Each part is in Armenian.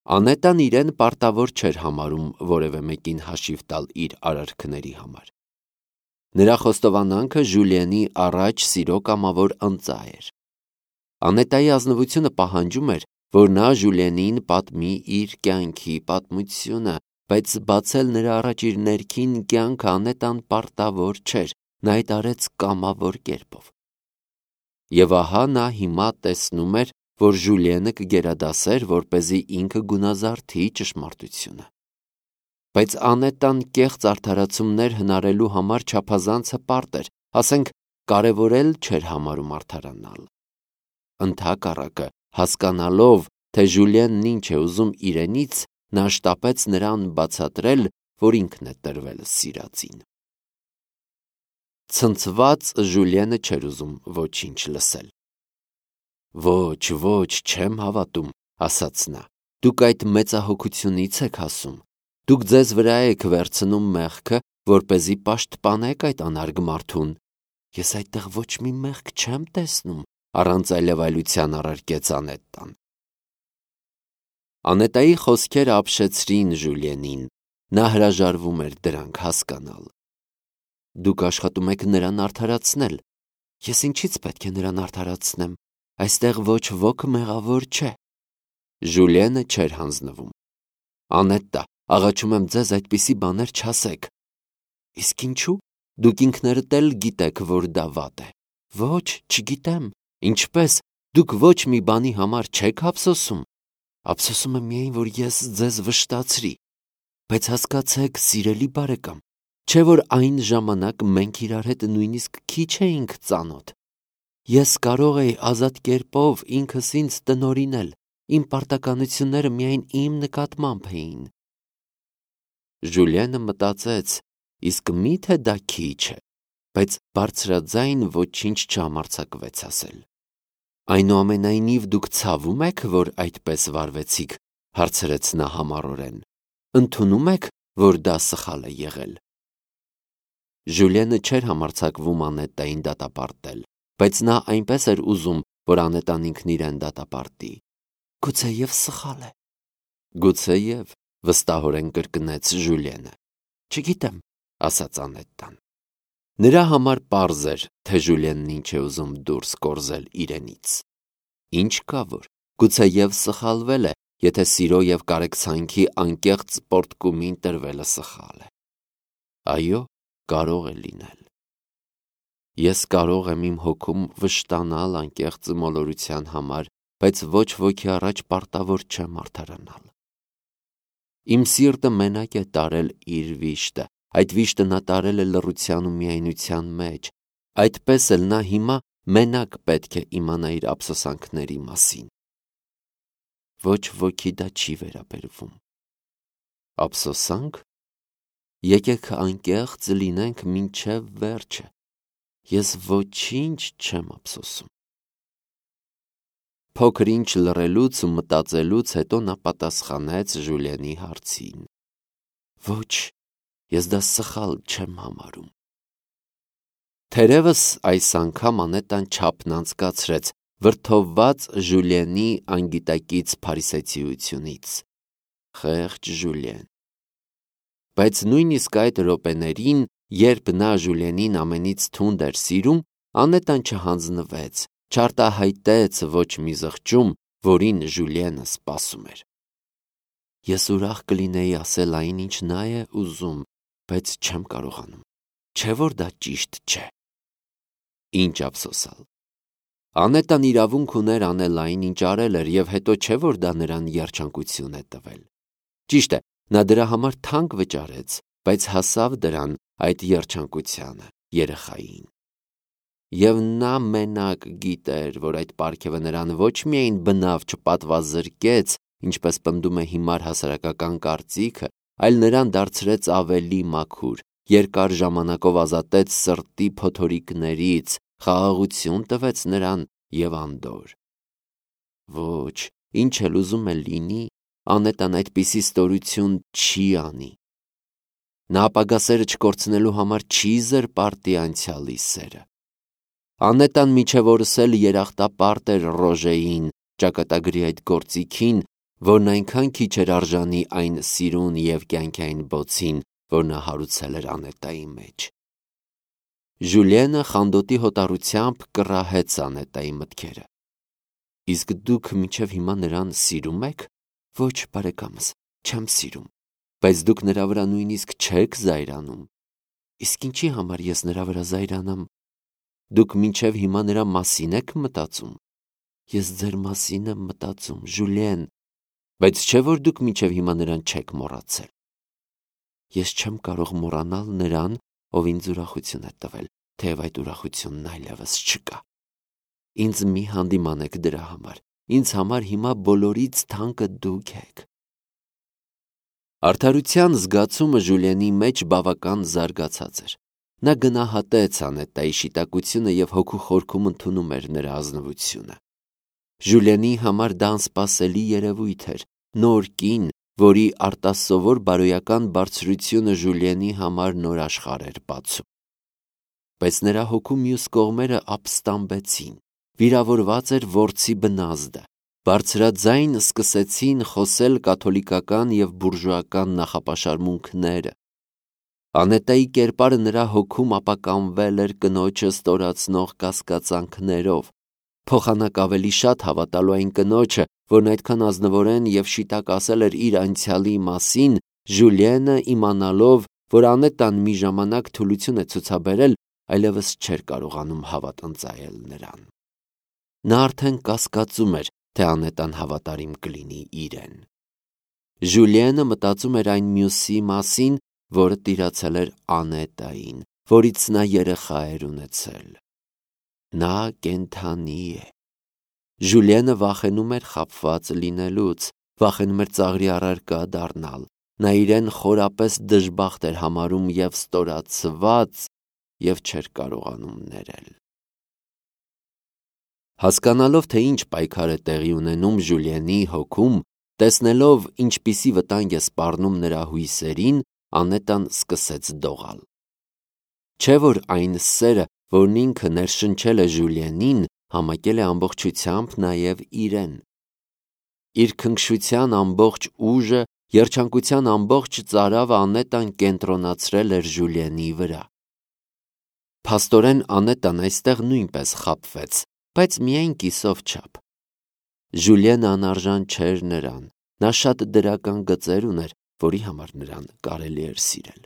Անետան իրեն պարտավոր չէր համարում որևէ մեկին հաշիվ տալ իր արարքների համար։ Նրա խոստովանանքը Ժուլիենի առաջ սիրո կամավոր ընծա էր։ Անետայի ազնվությունը պահանջում էր, որ նա Ժուլիենին պատմի իր կյանքի պատմությունը, բայց բացել նրա առաջ իր ներքին կյանքը Անետան պարտավոր չէր, նա այդ արեց կամավոր կերպով։ Եվ ահա նա հիմա տեսնում էր, որ Ժուլիենը կգերադասեր, որպեսզի ինքը գունազարդի ճշմարտությունը։ Բայց Անետան կեղծ արդարացումներ հնարելու համար չափազանց հպարտ էր, ասենք կարևորել չէր համարում արդարանալ։ Ընդհակառակը, հասկանալով, թե Ժուլիենն ինչ է ուզում իրենից, նա շտապեց նրան բացատրել, որ ինքն է տրվել սիրածին։ Ցնցված Ժուլիենը չէր ուզում ոչինչ լսել։ Ոչ, չեմ հավատում, ասաց նա, դուք այդ մեծահոգությունից եք ասում, դուք ձեզ վրա եք վերցնում մեղքը, որպեսզի պաշտպանեք այդ անարգ մարդուն։ Ես այդտեղ ոչ մի մեղք չեմ տեսնում, առանց այլևայլության առարկեց Անետան։ Անետայի խոսքերը ապշեցրին Ժուլիենին, նա հրաժարվում էր դրանք հասկանալ։ Դուք աշխատում եք նրան արդարացնել։ Ես ինչից պետք է նրան արդարացնեմ, այստեղ ոչ ոք մեղավոր չէ։ Ժուլիենը չէր հանձնվում։ Անետա, աղաչում եմ ձեզ այդպիսի բաներ չասեք։ Իսկ ինչու՞, դուք ինքներդ էլ գիտեք, որ դա վատ է։ Ոչ, չգիտեմ, ինչպես, դուք ոչ մի բանի համար չեք ափսոսում։ Ափսոսում եմ միայն, որ ես ձեզ վշտացրի։ Բայց հասկացեք, սիրելի բարեկամ, չէ՞ որ այն ժամանակ մենք իրար հետ նույնիսկ քիչ էինք ծանոթ։ Ես կարող էի ազատ կերպով ինքս ինձ տնօրինել, իմ պարտականությունները միայն իմ նկատմամբ էին։ Ժուլիենը մտածեց, իսկ մի՞թե դա քիչ է, բայց բարձրաձայն ոչինչ չհամարձակվեց ասել։ Այնուամենայնիվ դուք ցավում եք, որ այդպես վարվեցիք, հարցրեց նա համառորեն։ Ընդունում եք, որ դա սխալ է եղել։ Ժուլիենը չէր համարձակվում Անետային դատապարտել, բայց նա այնպես էր ուզում, որ Անետան ինքն իրեն դատապարտի։ Գուցեև սխալ է։ Գուցեև, վստահորեն կրկնեց Ժուլիենը։ Չգիտեմ, ասաց Անետան։ Նրա համար պարզ էր, թե Ժուլիենն ինչ է ուզում դուրս կորզել իրենից։ Ինչ կա որ, գուցեև սխալվել է, եթե սիրո և կարեկցանքի անկեղծ պոռթկումին տրվելը սխալ է։ Այո, կարող է լինել։ Ես կարող եմ իմ հոգում վշտանալ անկեղծ մոլորության համար, բայց ոչ ոքի առաջ պարտավոր չեմ արդարանալ։ Իմ սիրտը մենակ է տարել իր վիշտը, այդ վիշտը նա տարել է լռության ու միայնության մեջ, այդպես էլ նա հիմա մենակ պետք է իմանա իր ափսոսանքների մասին։ Ոչ ոքի դա չի վերաբերվում։ Ափսոսանք։ Եկեք անկեղծ լինենք մինչև վերջը։ Ես ոչինչ չեմ ափսոսում։ Փոքր ինչ լռելուց ու մտածելուց հետո նա պատասխանեց Ժուլիենի հարցին։ Ոչ, ես դա սխալ չեմ համարում։ Թերևս այս անգամ Անետան չափն անցկացրեց, վրդովված Ժուլիենի անգիտակից փարիսեցիությունից։ Խեղճ Ժուլիեն։ Բայց նույնիսկ այդ րոպեներին, երբ նա Ժուլիենին ամենից թունդ էր սիրում, Անետան չհանձնվեց, չարտահայտեց ոչ մի զղջում, որին Ժուլիենը սպասում էր։ Ես ուրախ կլինեի ասել այն, ինչ նա է ուզում, բայց չեմ կարողանում։ Չէ՞ որ դա ճիշտ չէ։ Ինչ ափսոսալ։ Անետան իրավունք ուներ անել այն, ինչ արել էր, և հետո չէ՞ որ դա նրան երջանկություն է տվել։ Ճիշտ է, նա դրա համար թանկ վճարեց, բայց հասավ դրան այդ երջանկությանը երեխային։ Եվ նա մենակ գիտեր, որ այդ պարգևը նրան ոչ միայն բնավ չպատվազրկեց, ինչպես պնդում է հիմար հասարակական կարծիքը, այլ նրան դարձրեց ավելի մաքուր, երկար ժամանակով ազատեց սրտի փոթորիկներից, խաղաղություն տվեց նրան և անդորր։ Ոչ, ինչ էլ ուզում է լինի, Անետան այդպիսի ստորություն չի անի։ Նա ապագա սերը չկորցնելու համար չի զրպարտի անցյալի սերը։ Անետան մինչև օրս էլ երախտապարտ էր Ռոժեին, ճակատագրի այդ գործիքին, որն այնքան քիչ էր արժանի այն սիրուն և կյանքային բոցին, որ նա հարուցել էր Անետայի մեջ։ Ժուլիենը խանդոտի հոտառությամբ կռահեց Անետայի մտքերը։ Իսկ դուք մինչև հիմա նրան սիրում եք։ Ոչ, բարեկամս, չեմ սիրում, բայց դուք նրա վրա նույնիսկ չեք զայրանում։ Իսկ ինչի համար ես նրա վրա զայրանամ։ Դուք մինչև հիմա նրա մասին եք մտածում։ Ես ձեր մասին եմ մտածում, Ժուլիեն, բայց չէ՞ որ դուք մինչև հիմա նրան չեք մոռացել։ Ես չեմ կարող մոռանալ նրան, ով ինձ ուրախություն է տվել, թեև այդ ուրախությունն այլևս չկա։ Ինձ մի հանդիմանեք դրա համար։ Ինձ համար հիմա բոլորից թանկը դուք եք։ Արդարության զգացումը Ժուլիենի մեջ բավական զարգացած էր։ Նա գնահատեց Անետայի շիտակությունը և հոգու խորքում ընդունում էր նրա ազնվությունը։ Ժուլիենի համար դա անսպասելի երևույթ էր, նոր կին, որի արտասովոր բարոյական բարձրությունը Ժուլիենի համար նոր աշխարհ էր բացում։ Բայց նրա հոգու մյուս կողմերը ապստամբեցին, վիրավորված էր որսի բնազդը, բարձրաձայն սկսեցին խոսել կաթոլիկական և բուրժուական նախապաշարմունքները։ Անետայի կերպարը նրա հոգում ապականվել էր կնոջը ստորացնող կասկածանքներով, փոխանակ ավելի շատ հավատալու այն կնոջը, որն այդքան ազնվորեն և շիտակ ասել էր իր անցյալի մասին, Ժուլիենը իմանալով, որ Անետան մի ժամանակ թուլություն է ցուցաբերել, այլևս չէր կարողանում հավատ ընծայել նրան։ Նա արդեն կասկածում էր, թե Անետան հավատարիմ կլինի իրեն։ Ժուլիենը մտածում էր այն մյուսի մասին, որը տիրացել էր Անետային, որից նա երեխա էր ունեցել։ Նա կենդանի է։ Ժուլիենը վախենում էր խաբված լինելուց, վախենում էր ծաղրի առարկա դառնալ։ Նա իրեն խորապես դժբախտ էր համարում և ստորացված և չէր կարողանում ներել։ Հասկանալով, թե ինչ պայքար է տեղի ունենում Ժուլիենի հոգում, տեսնելով ինչպիսի վտանգ է սպառնում նրա հույսերին, Անետան սկսեց դողալ։ Չէ՞ որ այն սերը, որն ինքը ներշնչել է Ժուլիենին, համակել է ամբողջությամբ նաև իրեն։ Իր քնքշության ամբողջ ուժը, երջանկության ամբողջ ծարավը Անետան կենտրոնացրել էր Ժուլիենի վրա։ Փաստորեն Անետան այստեղ նույնպես խաբվեց, բայց միայն կիսով չափ։ Ժուլիենը անարժան չէր նրան, նա շատ դրական գծեր ուներ, որի համար նրան կարելի էր սիրել։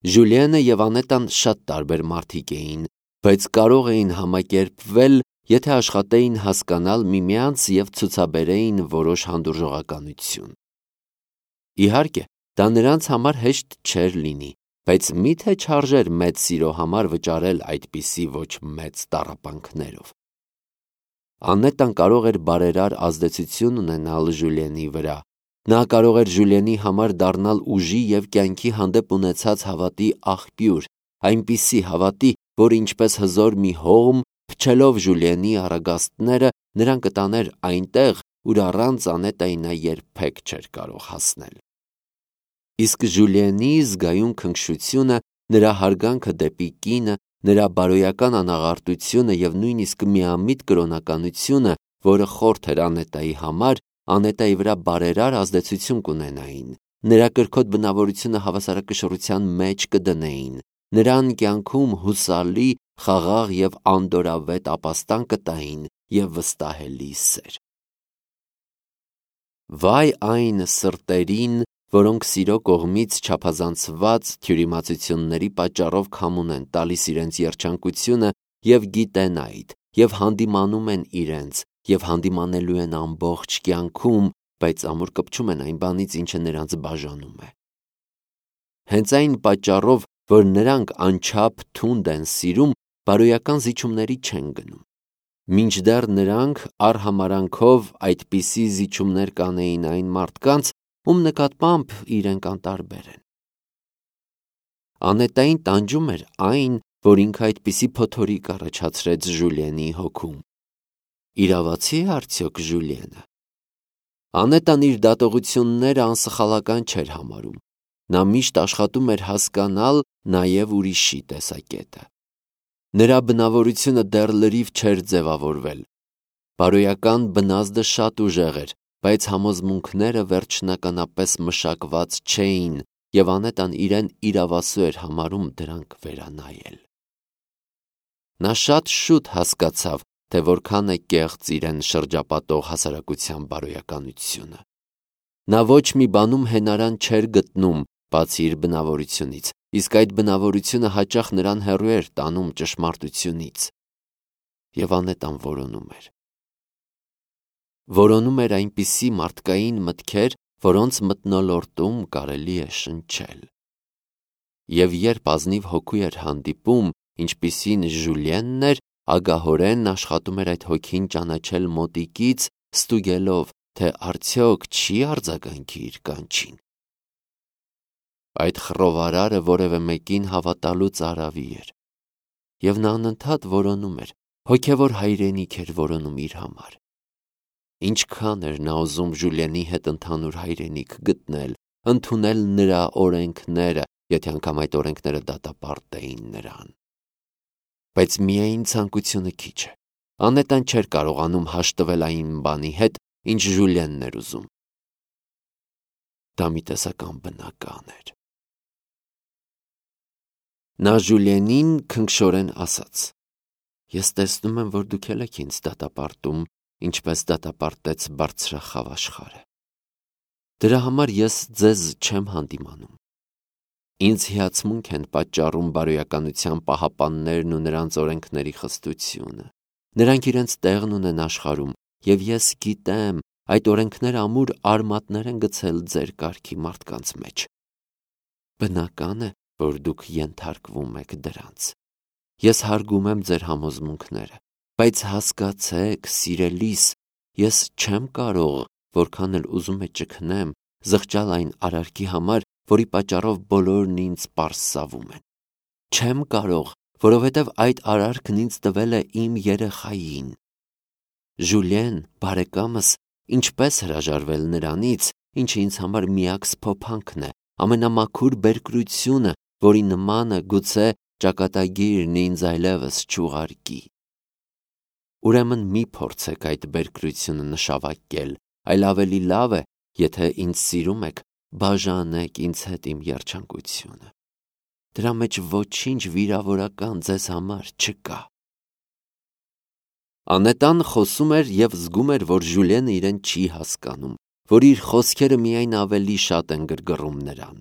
Ժուլիենը և Անետան շատ տարբեր մարդիկ էին, բայց կարող էին համակերպվել, եթե աշխատեին հասկանալ միմյանց և ցուցաբերեին որոշ հանդուրժողականություն։ Իհարկե, դա նրանց համար հեշտ չէր լինի, բայց մի՞թե չարժեր մեծ սիրո համար վճարել այդպիսի ոչ մեծ տառապանքներով։ Անետան կարող էր բարերար ազդեցություն ունենալ Ժուլիենի վրա։ Նա կարող էր Ժուլիենի համար դառնալ ուժի և կյանքի հանդեպ ունեցած հավատի աղբյուր, այնպիսի հավատի, որ ինչպես հզոր մի հողմ, փչելով Ժուլիենի առագաստները, նրան կտաներ այնտեղ, ուր առանց Անետայի նա երբեք չէր կարող հասնել։ Իսկ Ժուլիենի զգայուն քնքշությունը, նրա հարգանքը դեպի կինը, նրա բարոյական անաղարտությունը և նույնիսկ միամիտ կրոնականությունը, որը խորթ էր Անետայի համար, Անետայի վրա բարերար ազդեցություն կունենային, նրա կրքոտ բնավորությունը հավասարակշռության մեջ կդնեին, նրան կյանքում հուսալի, խաղաղ և անդորրավետ ապաստան կտային և վստահելի սեր։ Վայ այն սրտերին, որոնք սիրո կողմից չափազանցված թյուրիմացությունների պատճառով քամուն են տալիս իրենց երջանկությունը և գիտեն այդ, և հանդիմանում են իրենց, և հանդիմանելու են ամբողջ կյանքում, բայց ամուր կպչում են այն բանից, ինչը նրանց բաժանում է։ Հենց այն պատճառով, որ նրանք անչափ թունդ են սիրում, բարոյական զիջումների չեն գնում։ Մինչդեռ նրանք արհամարհանքով այդպիսի զիջումներ կանեին այն մարդկանց, ում նկատմամբ իրենք անտարբեր են։ Անետային տանջում էր այն, որ ինքը այդպիսի փոթորիկ առաջացրեց Ժուլիենի հոգում։ Իրավացի՞ է արդյոք Ժուլիենը։ Անետան իր դատողությունները անսխալական չէր համարում։ Նա միշտ աշխատում էր հասկանալ նաև ուրիշի տեսակետը։ Նրա բնավորությունը դեռ լրիվ չէր ձևավորվել։ Բարոյական բնազդը շատ ուժեղ էր, բայց համոզմունքները վերջնականապես մշակված չէին, և Անետան իրեն իրավասու էր համարում դրանք վերանայել։ Նա շատ շուտ հասկացավ, թե որքան է կեղծ իրեն շրջապատող հասարակության բարոյականությունը։ Նա ոչ մի բանում հենարան չէր գտնում, բացի իր բնավորությունից, իսկ այդ բնավորությունը հաճախ նրան հեռու էր տանում ճշմարտությունից։ Եվ Անետան որոնում էր։ Որոնում էր այնպիսի մարդկային մտքեր, որոնց մթնոլորտում կարելի է շնչել։ Եվ երբ ազնիվ հոգու էր հանդիպում, ինչպիսին Ժուլիենն էր, ագահորեն աշխատում էր այդ հոգին ճանաչել մոտիկից, ստուգելով, թե արդյոք չի արձագանքի իր կանչին։ Այդ խռովարարը որևէ մեկին հավատալու ծարավի էր, և նա անընդհատ որոնում էր, հոգևոր հայրենիք էր որոնում իր համար։ Ինչքան էր նա ուզում Ժուլիենի հետ ընդհանուր հայրենիք գտնել, ընդունել նրա օրենքները, եթե անգամ այդ օրենքները դատապարտեին նրան։ Բայց միայն ցանկությունը քիչ է։ Անետան չէր կարողանում հաշտվել այն բանի հետ, ինչ Ժուլիենն էր ուզում։ Դա մի տեսակ անբնական էր։ Նա Ժուլիենին քնքշորեն ասաց. «Ես տեսնում եմ, որ դուք էլ եք ինձ դատապարտում, ինչպես դատապարտեց բարձրախավ աշխարհը։ Դրա համար ես ձեզ չեմ հանդիմանում։ Ինձ հիացմունք են պատճառում բարոյականության պահապաններն ու նրանց օրենքների խստությունը։ Նրանք իրենց տեղն ունեն աշխարհում, և ես գիտեմ, այդ օրենքները ամուր արմատներ են գցել ձեր կարգի մարդկանց մեջ։ Բնական է, որ դուք ենթարկվում եք դրանց։ Ես հարգում եմ ձեր համոզմունքները, բայց հասկացեք, սիրելիս, ես չեմ կարող, որքան էլ ուզում է ճգնեմ, զղջալ այն արարքի համար, որի պատճառով բոլորն ինձ պարսավում են։ Չեմ կարող, որովհետև այդ արարքն ինձ տվել է իմ երեխային։ Ժուլիեն, բարեկամս, ինչպես հրաժարվել նրանից, ինչը ինձ համար միակ սփոփանքն է, ամենամաքուր բերկրությունը, որի նմանը գուցե ճակատագիրն ինձ այլևս չուղարկի։ Ուրեմն մի փորձեք այդ բերկրությունը նշավարկել, այլ ավելի լավ է, եթե ինձ սիրում եք, բաժանեք ինձ հետ իմ երջանկությունը։ Դրա մեջ ոչինչ վիրավորական ձեզ համար չկա։ Անետան խոսում էր և զգում էր, որ Ժուլիենը իրեն չի հասկանում, որ իր խոսքերը միայն ավելի շատ են գրգռում նրան։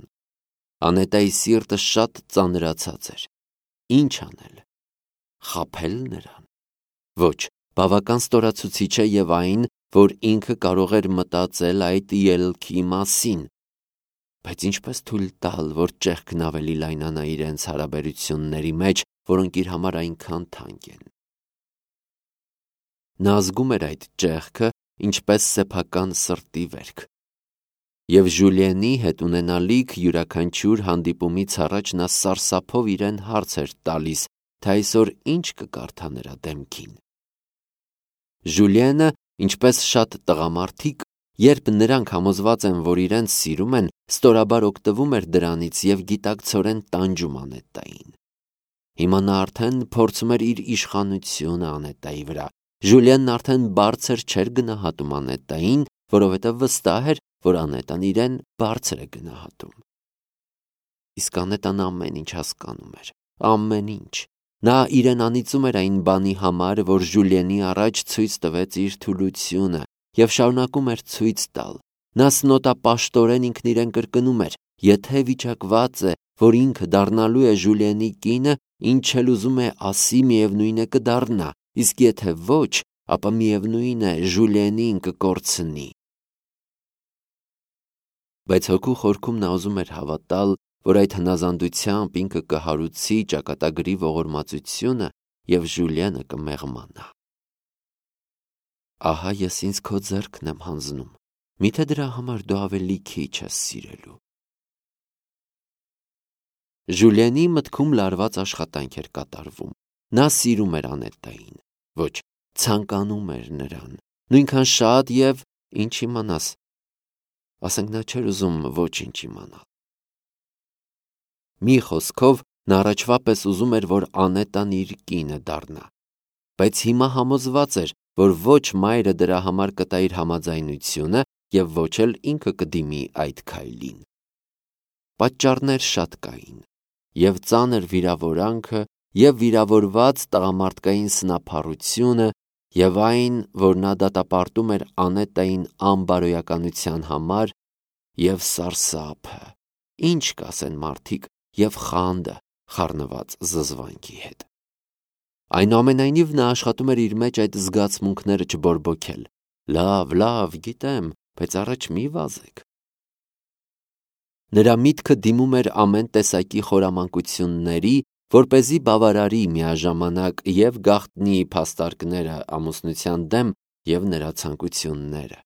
Անետայի սիրտը շատ ծանրացած էր։ Ինչ անել։ Խաբել նրան։ Ոչ, բավական ստորացուցիչ է և այն, որ ինքը կարող էր մտածել այդ ելքի մասին։ Բայց ինչպես թույլ տալ, որ ճեղքն ավելի լայնանա իրենց հարաբերությունների մեջ, որոնք իր համար այնքան թանկ են։ Նա զգում էր այդ ճեղքը, ինչպես սեփական սրտի վերք։ Եվ Ժուլիենի հետ ունենալիք յուրաքանչյուր հանդիպումից առաջ նա սարսափով իրեն հարց էր տալիս, թե այսօր ինչ կկարդա նրա դեմքին։ Ժուլիենը, ինչպես շատ տղամարդիկ, երբ նրանք համոզված են, որ իրենց սիրում են, ստորաբար օգտվում էր դրանից և գիտակցորեն տանջում Անետային։ Հիմա նա արդեն փորձում էր իր իշխանությունը Անետայի վրա։ Ժուլիենն արդեն բարձր չէր գնահատում Անետային, որովհետև վստահ էր, որ Անետան իրեն բարձր է գնահատում։ Իսկ Անետան ամեն ինչ հասկանում էր, ամեն ինչ։ Նա իրեն անիծում էր այն բանի համար, որ Ժուլիենի առաջ ցույց տվեց իր թուլությունը և շարունակում էր ցույց տալ։ Նա սնոտապաշտորեն ինքն իրեն կրկնում էր. եթե վիճակված է, որ ինքը դառնալու է Ժուլիենի կինը, ինչ էլ ուզում է ասի, միևնույն է կդառնա, իսկ եթե ոչ, ապա միևնույն է Ժուլիենին կկորցնի։ Բայց հոգու խորքում նա ուզում էր հավատալ, որ այդ հնազանդությամբ ինքը կհարուցի ճակատագրի ողորմածությունը և Ժուլիենը կմեղմանա։ Ահա ես ինձ քո ձեռքն եմ հանձնում, միթե դրա համար դու ավելի քիչ ես սիրելու։ Ժուլիենի մտքում լարված աշխատանք էր կատարվում։ Նա սիրում էր Անետային, ոչ, ցանկանում էր նրան, նույնքան շատ և ինչ իմանաս, ասենք նա չէր ուզում ոչինչ իմանալ։ Մի խոսքով, նա առաջվա պես ուզում էր, որ Անետան իր կինը դառնա, բայց հիմա համոզված էր, որ ոչ մայրը դրա համար կտա իր համաձայնությունը և ոչ էլ ինքը կդիմի այդ քայլին։ Պատճառներ շատ կային, և ծանր վիրավորանքը, և վիրավորված տղամարդկային սնափառությունը, և այն, որ նա դատապարտում էր Անետային անբարոյականության համար, և սարսափը, ինչ կասեն մարդիկ, և խանդը խառնված զզվանքի հետ։ Այնուամենայնիվ նա աշխատում էր իր մեջ այդ զգացմունքները չբորբոքել։ Լավ, գիտեմ, բայց առաջ մի վազեք։ Նրա միտքը դիմում էր ամեն տեսակի խորամանկությունների, որպեսզի բավարարի միաժամանակ և գաղտնի փաստարկները ամուսնության դեմ և նրա ցանկությունները։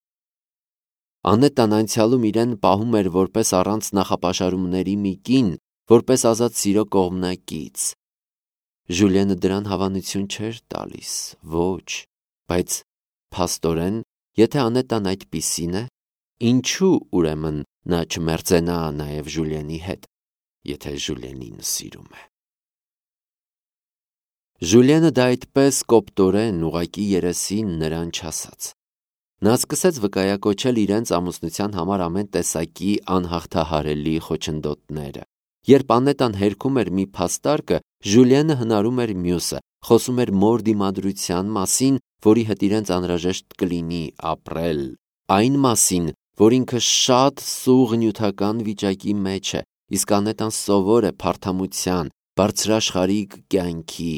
Անետան անցյալում իրեն պահում էր որպես առանց նախապաշարումների մի կին, որպես ազատ սիրո կողմնակից։ Ժուլիենը դրան հավանություն չէր տալիս, ոչ, բայց փաստորեն, եթե Անետան այդպիսին է, ինչու ուրեմն նա չմերձենա նաև Ժուլիենի հետ, եթե Ժուլիենին սիրում է։ Ժուլիենը դա այդպես կոպտորեն ուղղակի երեսին նրան չասաց։ Նա սկսեց վկայակոչել իրենց ամուսնության համար ամեն տեսակի անհաղթահարելի խոչընդոտները։ Երբ Անետան հերքում էր մի փաստարկը, Ժուլիենը հնարում էր մյուսը, խոսում էր մոր դիմադրության մասին, որի հետ իրենց անհրաժեշտ կլինի ապրել, այն մասին, որ ինքը շատ սուղ նյութական վիճակի մեջ է, իսկ Անետան սովոր է փարթամության, բարձրաշխարհիկ կյանքի։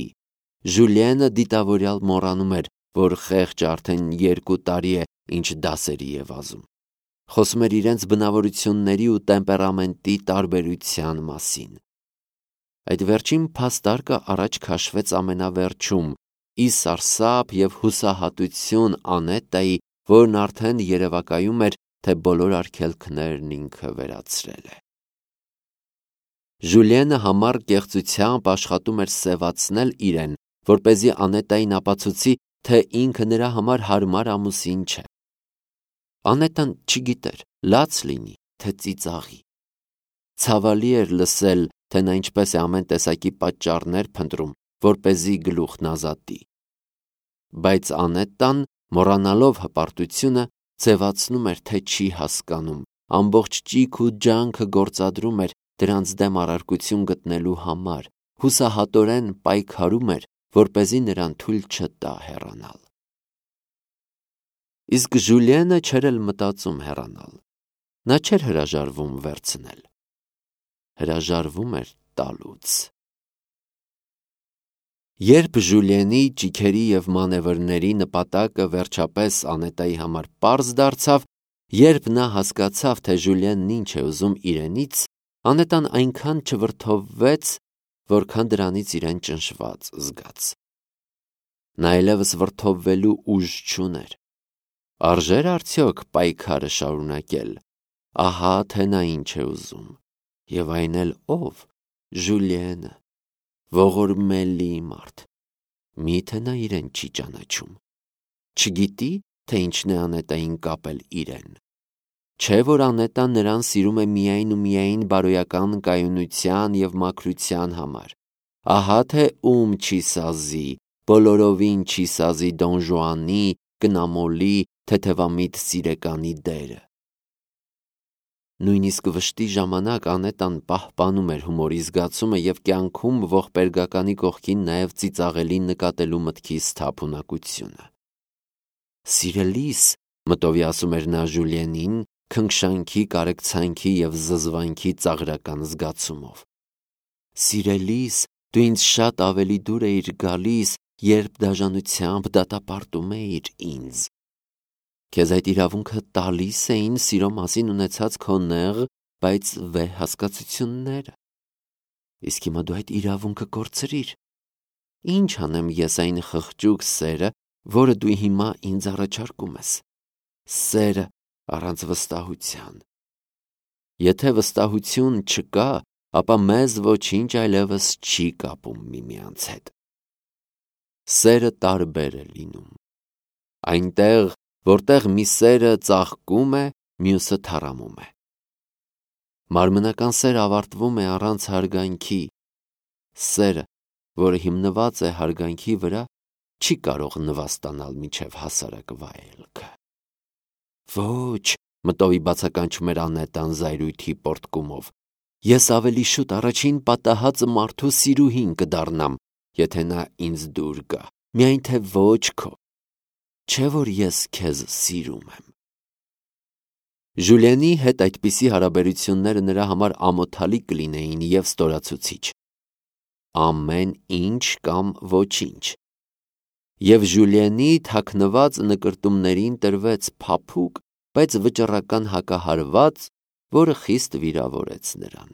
Ժուլիենը դիտավորյալ մոռանում էր, որ խեղճը արդեն 2 տարի է, ինչ դասերի է վազում։ Խոսում էր իրենց բնավորությունների ու տեմպերամենտի տարբերության մասին։ Այդ վերջին փաստարկը առաջ քաշվեց ամենավերջում, ի սարսափ և հուսահատություն Անետայի, որն արդեն երևակայում էր, թե բոլոր արգելքներն ինքը վերացրել է։ Ժուլիենը համառ կեղծությամբ աշխատում էր սևացնել իրեն, որպեսզի Անետային ապացուցի, թե ինքը նրա համար հարմար ամուսին չէ։ Անետան չգիտեր, լաց լինի, թե ծիծաղի։ Ցավալի էր լսել, թե նա ինչպես է ամեն տեսակի պատճառներ փնտրում, որպեսզի գլուխն ազատի։ Բայց Անետան, մոռանալով հպարտությունը, ձևացնում էր, թե չի հասկանում, ամբողջ ճիգ ու ջանքը գործադրում էր դրանց դեմ առարկություն գտնելու համար, հուսահատորեն պայքարում էր, որպեսզի նրան թույլ չտա հեռանալ։ Իսկ Ժուլիենը չէր էլ մտածում հեռանալ։ Նա չէր հրաժարվում վերցնել։ Հրաժարվում էր տալուց։ Երբ Ժուլիենի ճիգերի և մանևրների նպատակը վերջապես Անետայի համար պարզ դարձավ, երբ նա հասկացավ, թե Ժուլիենն ինչ է ուզում իրենից, Անետան այնքան չվրդովվեց, որքան դրանից իրեն ճնշված զգաց։ Նա այլևս վրդովվելու ուժ չուներ։ Արժե՞ր արդյոք պայքարը շարունակել։ Ահա թե նա ինչ է ուզում։ Եվ այն էլ ով։ Ժուլիենը, ողորմելի մարդ։ Միթե նա իրեն չի ճանաչում։ Չգիտի, թե ինչն է Անետային կապել իրեն։ Չէ՞ որ Անետան նրան սիրում է միայն ու միայն բարոյական կայունության և մաքրության համար։ Ահա թե ում չի սազի, բոլորովին չի սազի Դոն Ժուանի, կնամոլի, թեթևամիտ սիրեկանի դերը։ Նույնիսկ վշտի ժամանակ Անետան պահպանում էր հումորի զգացումը և կյանքում ողբերգականի կողքին նաև ծիծաղելի նկատելու մտքի սթափունակությունը։ Սիրելիս, մտովի ասում էր նա Ժուլիենին, քնքշանքի, կարեկցանքի և զզվանքի ծաղրական զգացումով։ Սիրելիս, դու ինձ շատ ավելի դուր էիր գալիս, երբ դաժանությամբ դատապարտում էիր ինձ։ Քեզ այդ իրավունքը տալիս էին սիրո մասին ունեցած քո նեղ, բայց վեհ հասկացությունները։ Իսկ հիմա դու այդ իրավունքը կորցրիր։ Ինչ անեմ ես այն խղճուկ սերը, որը դու հիմա ինձ առաջարկում ես։ Սերը առանց վստահության։ Եթե վստահություն չկա, ապա մեզ ոչինչ այլևս չի կապում միմյանց հետ։ Սերը տարբեր է լինում։ Այնտեղ, որտեղ մի սերը ծաղկում է, մյուսը թառամում է։ Մարմնական սերը ավարտվում է առանց հարգանքի։ Սերը, որը հիմնված է հարգանքի վրա, չի կարող նվաստանալ մինչև հասարակ վայելքը։ Ոչ, մտովի բացականչում էր Անետան զայրույթի պոռթկումով։ Ես ավելի շուտ առաջին պատահածը մարդու սիրուհին կդառնամ, եթե նա ինձ դուր գա, միայն թե ոչ քո, չէ որ ես քեզ սիրում եմ։ Ժուլիենի հետ այդպիսի հարաբերությունները նրա համար ամոթալի կլինեին և ստորացուցիչ։ Ամեն ինչ կամ ոչինչ։ Եվ Ժուլիենի թաքնված նկրտումներին տրվեց փափուկ, բայց վճռական հակահարված, որը խիստ վիրավորեց նրան։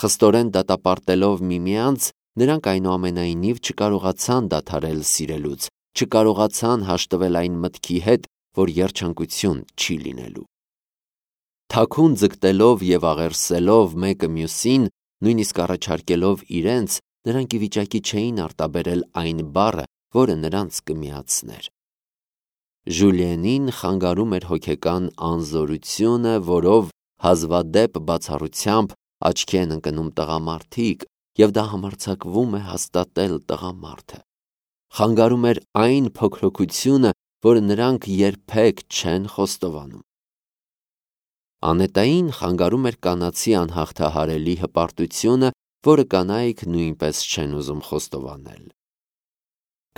Խստորեն դատապարտելով միմյանց, նրանք այնուամենայնիվ չկարողացան դադարել սիրելուց, չկարողացան հաշտվել այն մտքի հետ, որ երջանկություն չի լինելու։ Թաքուն ձգտելով և աղերսելով մեկը մյուսին, նույնիսկ առաջարկելով իրենց, նրանք ի վիճակի չէին արտաբերել այն բառը, որը նրանց կմիացներ։ Ժուլիենին խանգարում էր հոգեկան անզորությունը, որով հազվադեպ բացառությամբ աչքի են ընկնում տղամարդիկ, և դա համարձակվում է հաստատել տղամարդը։ Խանգարում էր այն փոքրοκությունը, որը նրանք երբեք չեն խոստովանում։ Անետային խանգարում էր կանացի անհաղթահարելի հպարտությունը, որը կանայք նույնպես չեն ուզում խոստովանել։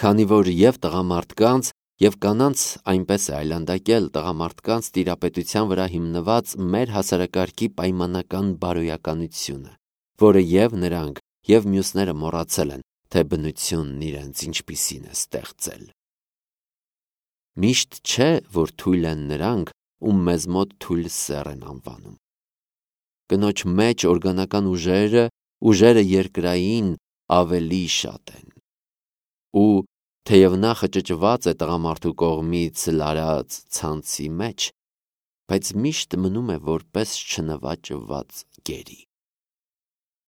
Քանի որ և տղամարդկանց, և կանանց այնպես է այլանդակել տղամարդկանց տիրապետության վրա հիմնված մեր հասարակարգի պայմանական բարոյականությունը, որը և նրանք, և մյուսները մոռացել են, թե բնությունն իրենց ինչպիսին է ստեղծել։ Միշտ չէ, որ թույլ են նրանք, ում մեզ մոտ թույլ սեռ են անվանում։ Կնոջ մեջ օրգանական ուժերը երկրային ավելի շատ են։ Ու թեև նա խճճված է տղամարդու կողմից լարած ցանցի մեջ, բայց միշտ մնում է որպես չնվաճված գերի։